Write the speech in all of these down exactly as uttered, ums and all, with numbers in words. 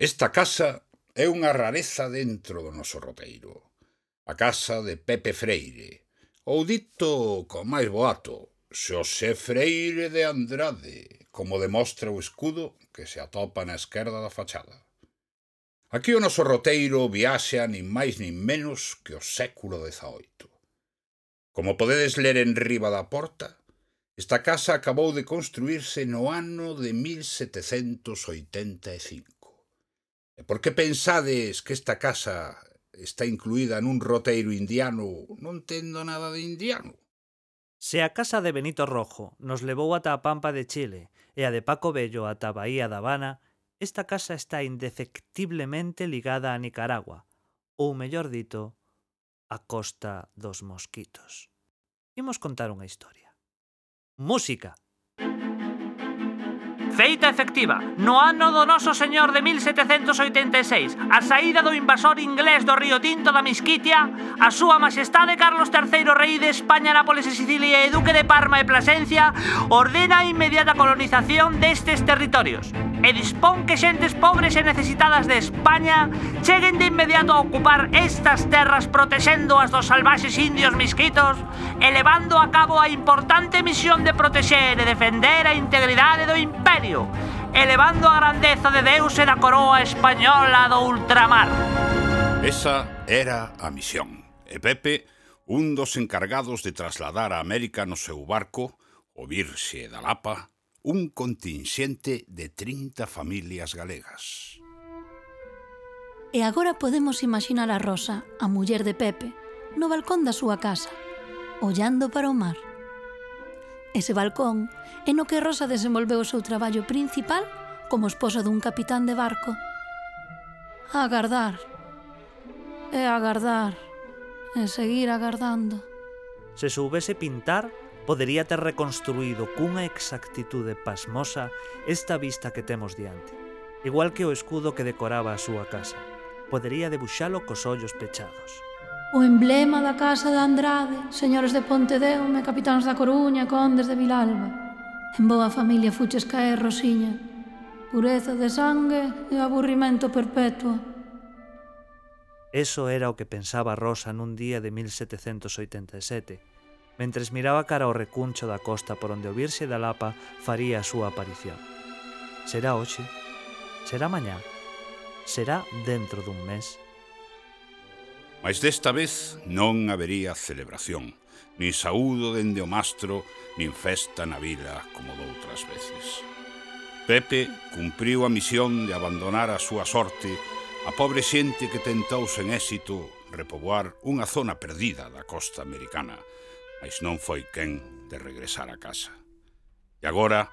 Esta casa é unha rareza dentro do noso roteiro. A casa de Pepe Freire, ou dito con máis boato, Xosé Freire de Andrade, como demostra o escudo que se atopa na esquerda da fachada. Aquí o noso roteiro viaxa nin máis nin menos que o século dezaoito. Como podedes ler en riba da porta, esta casa acabou de construírse no ano de mil setecentos oitenta e cinco. E por que pensades que esta casa está incluída nun roteiro indiano? Non tendo nada de indiano. Se a casa de Benito Rojo nos levou ata a Pampa de Chile e a de Paco Bello ata a Bahía da Habana, esta casa está indefectiblemente ligada a Nicaragua, ou mellor dito, a Costa dos Mosquitos. Imos contar unha historia. Música! Feita efectiva, no ano do noso señor de mil setecentos oitenta e seis, a saída do invasor inglés do Río Tinto da Misquitia, a súa majestade Carlos terceiro, rei de España, Nápoles e Sicilia e duque de Parma e Plasencia, ordena a inmediata colonización destes territorios e dispón que xentes pobres e necesitadas de España cheguen de inmediato a ocupar estas terras protexéndoas dos salvaxes indios misquitos e levando a cabo a importante misión de protexer e defender a integridade do imperio, elevando a grandeza de Deus e da coroa española do ultramar. Esa era a misión. E Pepe, un dos encargados de trasladar a América no seu barco, o Virxe da Lapa, un contingente de trinta familias galegas. E agora podemos imaginar a Rosa, a muller de Pepe, no balcón da súa casa, ollando para o mar. Ese balcón é no que Rosa desenvolveu o seu traballo principal como esposa dun capitán de barco. A agardar, e agardar, e seguir agardando. Se soubese pintar, podería ter reconstruído cunha exactitude pasmosa esta vista que temos diante. Igual que o escudo que decoraba a súa casa. Podería debuxalo cos ollos pechados. O emblema da casa de Andrade, señores de Pontedeume, capitáns da Coruña, condes de Vilalba. En boa familia fuches caer, Rosiña. Pureza de sangue e aburrimento perpetuo. Eso era o que pensaba Rosa nun día de mil setecentos oitenta e sete, mentres miraba cara ao recuncho da costa por onde o Virxe da Lapa faría a súa aparición. Será hoxe? Será mañá? Será dentro dun mes? Mas desta vez non habería celebración, nin saúdo dende o mastro, nin festa na vila como doutras veces. Pepe cumpriu a misión de abandonar a súa sorte a pobre xente que tentou sen éxito repoboar unha zona perdida da costa americana, mas non foi quen de regresar a casa. E agora,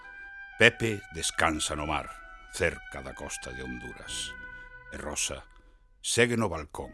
Pepe descansa no mar, cerca da costa de Honduras. E Rosa segue no balcón,